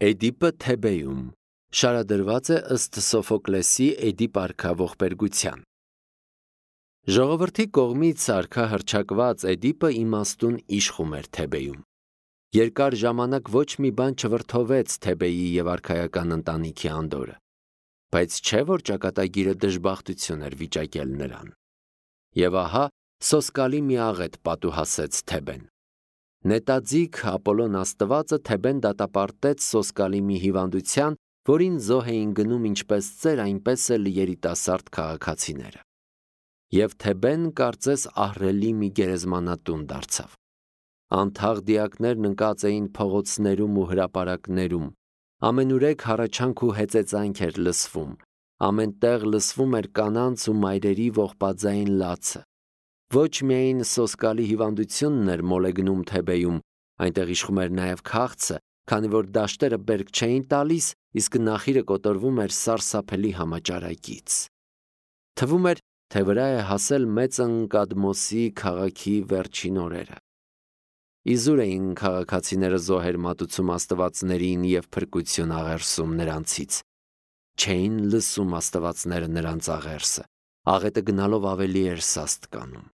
Էդիպը Թեբեյում շարադրված է ըստ Սոֆոկլեսի Էդիպ արքա ողբերգության։ Ժողովրդի կողմից արքա հռչակված Էդիպը իմաստուն իշխում էր Թեբեյում։ Երկար ժամանակ ոչ մի բան չվրդովեց Թեբեյի եւ արքայական ընտանիքի անդորը, բայց չէ որ ճակատագիրը դժբախտություն էր վիճակել նրան։ Եվ ահա սոսկալի մի աղետ պատուհասեց Թեբեն։ Նետաձիգ Ապոլոն աստվածը Թեբեն դատապարտեց սոսկալի մի հիվանդության, որին զոհ էին գնում ինչպես ծեր, այնպես էլ երիտասարդ քաղաքացիները։ Եվ Թեբեն կարծես ահռելի մի գերեզմանատուն դարձավ։ Անթաղ դիակներն ընկած էին փողոցներում ու հրապարակներում, ամենուրեք հառաչանք ու հեծեծանք էր լսվում, ամենտեղ լսվում էր կանանց ու մայրերի ողբաձայն լացը։ Ոչ միայն սոսկալի հիվանդությունն էր մոլեգնում Թեբեյում, այնտեղ իշխում էր նաև քաղցը, քանի որ դաշտերը բերք չէին տալիս, իսկ նախիրը կոտորվում էր սարսափելի համաճարակից։ Թվում էր, թե վրա է հասել մեծ Ընկադմոսի քաղաքի վերջին օրերը։ Իզուր էին քաղաքացիները զոհեր մատուցում աստվածներին և փրկություն աղերսում նրանցից։ Չէին լսում աստվածները նրանց աղերսը, աղետը գնալով ավելի էր սաստ կանում։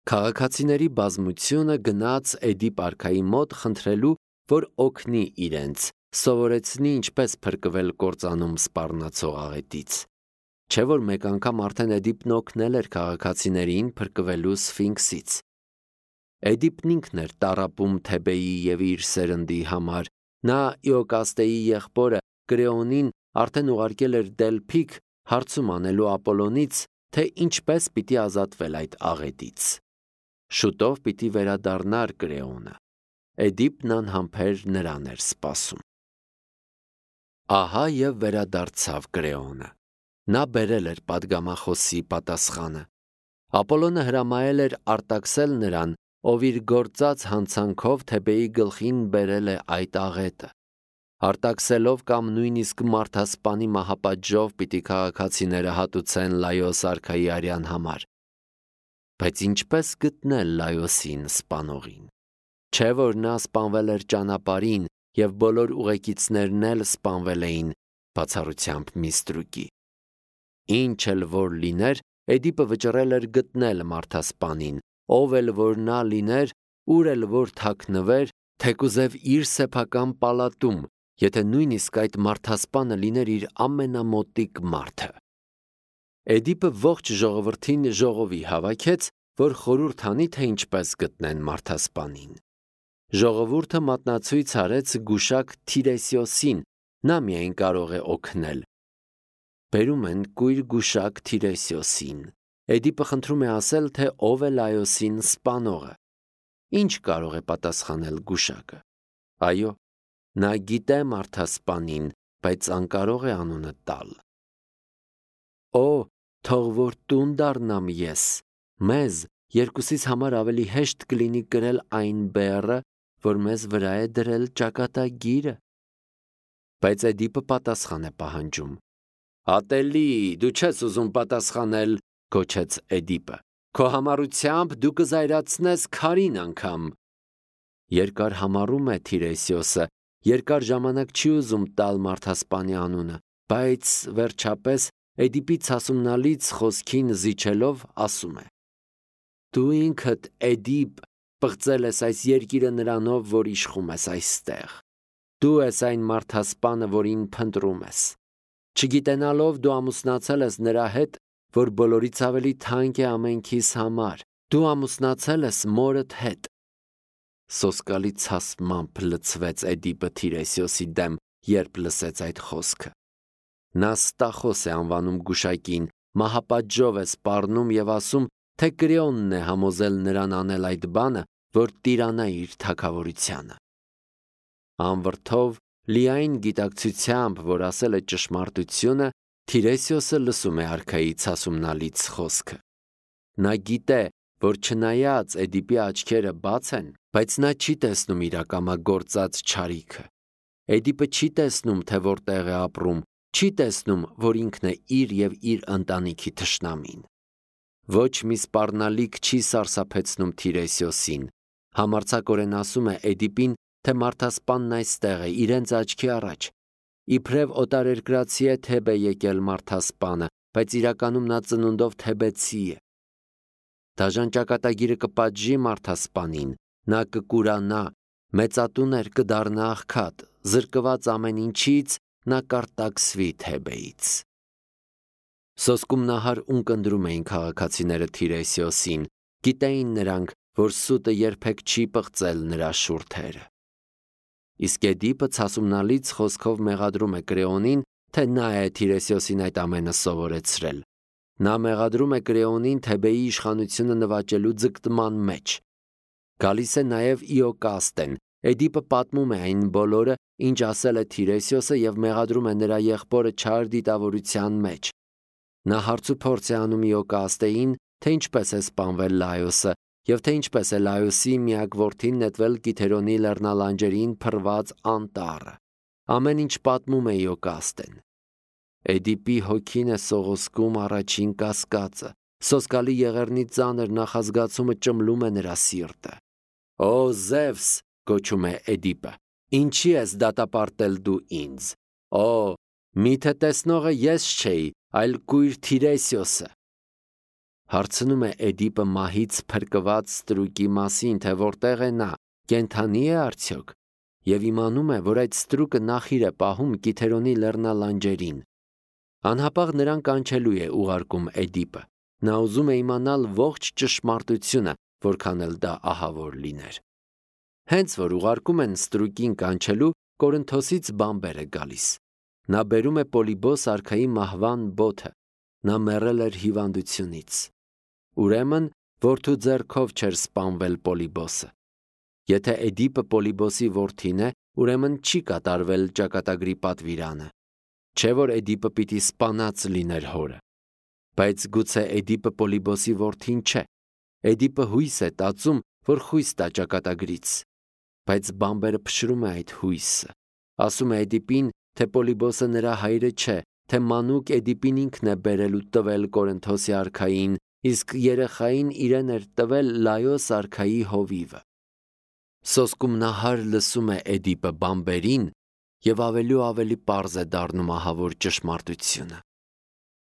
Քաղաքացիների բազմությունը գնաց Էդիպ արքայի մոտ խնդրելու, որ օգնի իրենց, սովորեցնի ինչպես փրկվել կործանում սպառնացող աղետից։ Չէ որ մեկ անգամ արդեն Էդիպն օգնել էր քաղաքացիներին փրկվելու Սֆինքսից։ Էդիպն ինքն էր տառապում Թեբեյի և իր սերնդի համար, նա Իոկաստեի եղբորը Կրեոնին արդեն ուղարկել էր Դելփիկ հարցում անելու Ապոլոնից, թե ինչպես պիտի ազատվել այդ աղետից։ Շուտով պիտի վերադառնար Կրեոնը։ Էդիպն անհամբեր նրան էր սպասում։ Ահա և վերադարձավ Կրեոնը։ Նա բերել էր պատգամախոսի պատասխանը։ Ապոլոնը հրամայել էր արտաքսել նրան, ով իր գործած հանցանքով Թեբեյի գլխին բերել է այդ աղետը։ Արտաքսելով կամ նույնիսկ մարդասպանի մահապատժով պիտի քաղաքացիները հատուցեն Լայոս արքայի արյան համար։ Բայց ինչպես գտնել Լայոսին սպանողին։ Չէ որ նա սպանվել էր ճանապարհին և բոլոր ուղեկիցներն էլ սպանվել էին, բացառությամբ մի ստրուկի։ Ինչ էլ որ լիներ, Էդիպը վճռել էր գտնել մարդասպանին, ով էլ որ նա լիներ, ուր էլ որ թաքնվեր, թեկուզև իր սեփական պալատում, եթե նույնիսկ այդ մարդասպանը լիներ իր ամենամոտիկ մարդը։ Էդիպը ողջ ժողովրդին ժողովի հավաքեց, որ խորհուրդ անի, թե ինչպես գտնեն մարդասպանին։ Ժողովուրդը մատնացույց արեց գուշակ Թիրեսիոսին, նա միայն կարող է օգնել։ Բերում են կույր գուշակ Թիրեսիոսին։ Էդիպը խնդրում է ասել, թե ով է Լայոսին սպանողը։ Ինչ կարող է պատասխանել գուշակը։ Այո, նա գիտե մարդասպանին, բայց անկարող է անունը տալ։ Օ, թող որ տուն դառնամ ես, մեզ երկուսիս համար ավելի հեշտ կլինի կրել այն բեռը, որ մեզ վրա է դրել ճակատագիրը։ Բայց Էդիպը պատասխան է պահանջում։ Ատելի, դու չես ուզում պատասխանել, գոչեց Էդիպը։ Քո համառությամբ դու կզայրացնես քարին անգամ։ Երկար համառում է Թիրեսիոսը, երկար ժամանակ չի ուզում տալ մարդասպանի անունը, բայց վերջապես Էդիպի ցասումնալից խոսքին զիջելով ասում է. Դու ինքդ Էդիպ պղծել ես այս երկիրը նրանով, որ իշխում ես այստեղ։ Դու ես այն մարդասպանը, որին փնտրում ես։ Չգիտենալով դու ամուսնացել ես նրա հետ, որ բոլորից ավելի թանկ է ամենքիս համար։ Դու ամուսնացել ես մորդ հետ։ Սոսկալի ցասմամբ լցվեց Էդիպը Թիրեսիոսի դեմ, երբ լսեց այդ խոսքը։ Նա Ստախոս է անվանում գուշակին, մահապատժով է սպառնում և ասում, թե Կրեոնն է համոզել նրան անել այդ բանը, որ տիրանա իր թագավորությանը։ Անվրդով, լիայն գիտակցությամբ, որ ասել է ճշմարտությունը, Թիրեսիոսը լսում է արքայի ցասումնալից խոսքը։ Նա գիտե, որ չնայած Էդիպի աչքերը բաց են, բայց նա չի տեսնում իրակամագործած չարիքը։ Էդիպը չի տեսնում, թե որտեղ է ապրում, չի տեսնում, որ ինքն է իր և իր ընտանիքի թշնամին։ Ոչ մի սպառնալիք չի սարսափեցնում Թիրեսիոսին, համարձակորեն ասում է Էդիպին, թե մարդասպանն այստեղ է, իրենց աչքի առաջ։ Իբրև օտարերկրացի է Թեբ է եկել մարդասպանը, բայց իրականում նա ծնունդով թեբեցի է։ Դաժան ճակատագիրը կպատժի մարդասպանին, նա կկուրանա, մեծատուներ կդառնա աղքատ, զրկված ամեն ինչից նա կարտաքսվի Թեբեից։ Սոսկումնահար ունկնդրում էին քաղաքացիները Թիրեսիոսին, գիտեին նրանք, որ սուտը երբեք չի պղծել նրա շուրթերը։ Իսկ Էդիպը ցասումնալից խոսքով մեղադրում է Կրեոնին, թե նա է Թիրեսիոսին այդ ամենը սովորեցրել։ Նա մեղադրում է Կրեոնին Թեբեի իշխանությունը նվաճելու ձգտման մեջ։ Գալիս է նաև Իոկաստեն։ Էդիպը պատմում է այն բոլորը, ինչ ասել է Թիրեսիոսը եւ մեղադրում է նրա եղբորը չար դիտավորության մեջ։ Նա հարցուփորձ է անում Իոկաստեին, թե ինչպես է սպանվել Լայոսը եւ թե ինչպես է Լայոսի միակ որդին նետվել Կիթերոնի լեռնալանջերին փռված անտառը։ Ամեն ինչ պատմում է Իոկաստեն։ Էդիպի հոգին է սողոսկում առաջին կասկածը։ Սոսկալի եղեռնի ծանր նախազգացումը ճմլում է նրա սիրտը։ «Օ Զևս», գոչում է Էդիպը, «ինչի ես դատապարտել դու ինձ։ Օ, միթե տեսնողը ես չէի, այլ կույր Թիրեսիոսը»։ Հարցնում է Էդիպը մահից փրկված ստրուկի մասին, թե որտեղ է նա, կենդանի է արդյոք, եւ իմանում է, որ այդ ստրուկը նախիր է պահում Կիթերոնի լեռնալանջերին։ Անհապաղ նրան կանչելու է ուղարկում Էդիպը։ Նա ուզում է իմանալ ողջ ճշմարտությունը, որքան էլ դա ահավոր լիներ։ Հենց որ ուղարկում են ստրուկին կանչելու, Կորինթոսից բամբեր է գալիս։ Նա բերում է Պոլիբոս արքայի մահվան բոթը։ Նա մեռել էր հիվանդությունից։ Ուրեմն, որդու ձեռքով չէր սպանվել Պոլիբոսը։ Եթե Էդիպը Պոլիբոսի որդին է, ուրեմն չի կատարվել ճակատագրի պատվիրանը։ Չէ որ Էդիպը պիտի սպանած լիներ հորը։ Բայց գուցե Էդիպը Պոլիբոսի որդին չէ։ Էդիպը հույս է տածում, որ խույս տա ճակատագրից։ Բայց բամբերը փշրում է այդ հույսը։ Ասում է Էդիպին, թե Պոլիբոսը նրա հայրը չէ, թե մանուկ Էդիպին ինքն է բերել ու տվել Կորինթոսի արքային, իսկ երեխային իրեն էր տվել Լայոս արքայի հովիվը։ Սոսկումնահար լսում է Էդիպը բամբերին եւ ավելի ու ավելի պարզ է դառնում ահավոր ճշմարտությունը։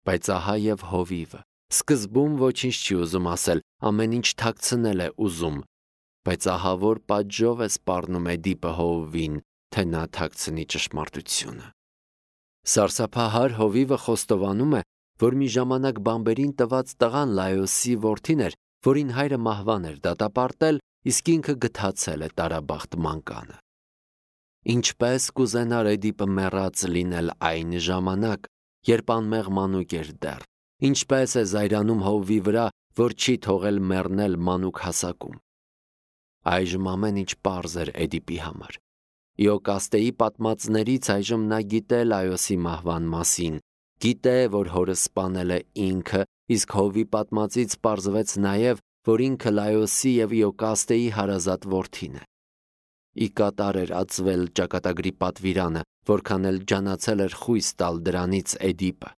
Բայց ահա եւ հովիվը։ Սկզբում ոչինչ չի ուզում ասել, ամեն ինչ թաքցնել է ուզում, բայց ահավոր պատժով է սպառնում Էդիպը հովվին, թե նա թաքցնի ճշմարտությունը։ Սարսափահար հովիվը խոստովանում է, որ մի ժամանակ բամբերին տված տղան Լայոսի որդին էր, որին հայրը մահվան էր դատապարտել, իսկ ինքը գթացել է տարաբախտ մանկանը։ Ինչպես կուզենար Էդիպը մեռած լինել այն ժամանակ, երբ անմեղ մանուկ էր դեռ, ինչպես է զայրանում հովվի վրա, որ չի թողել մեռնել մանուկ հասակում։ Այժմ ամեն ինչ պարզ էր Էդիպի համար։ Իոկաստեի պատմածներից այժմ նա գիտե Լայոսի մահվան մասին, գիտե, որ հորը սպանել է ինքը, իսկ հովի պատմածից պարզվեց նաև, որ ինքը Լայոսի եւ Իոկաստեի հարազատ որդին է։ Ի կատար էր ածվել ճակատագրի պատվիրանը, որքան էլ ջանացել էր խույս տալ դրանից Էդիպը։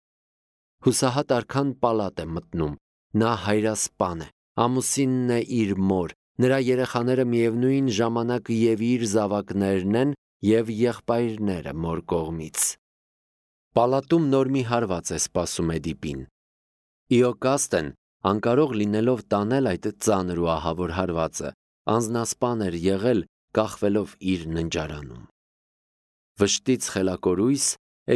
Հուսահատ արքան պալատ է մտնում, նա հայրասպան է, ամուսինն է իր մոր, նրա երեխաները միևնույն ժամանակ եւ իր զավակներն են եւ եղբայրները մոր կողմից։ Պալատում նոր մի հարված է սպասում Էդիպին։ Իոկաստեն, անկարող լինելով տանել այդ ծանր ու ահավոր հարվածը, անznասպան էր եղել, կախվելով իր ննջարանում։ Վշտից խելակորույս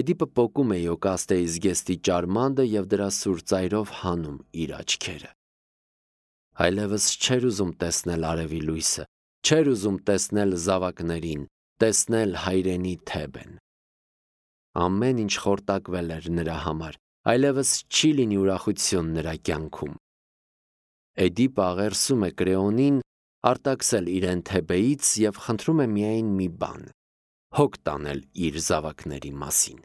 Էդիպը պոկում է Իոկաստեի զգեստի ճարմանդը եւ դրա սուր ծայրով հանում իր աչքերը։ Այլևս չէր ուզում տեսնել արևի լույսը, չէր ուզում տեսնել զավակներին, տեսնել հայրենի Թեբեն։ Ամեն ինչ խորտակվել էր նրա համար, այլևս չի լինի ուրախություն նրա կյանքում։ Էդիպը աղերսում է Կրեոնին արտաքսել իրեն Թեբեից եւ խնդրում է միայն մի բան՝ հոգ տանել իր զավակների մասին։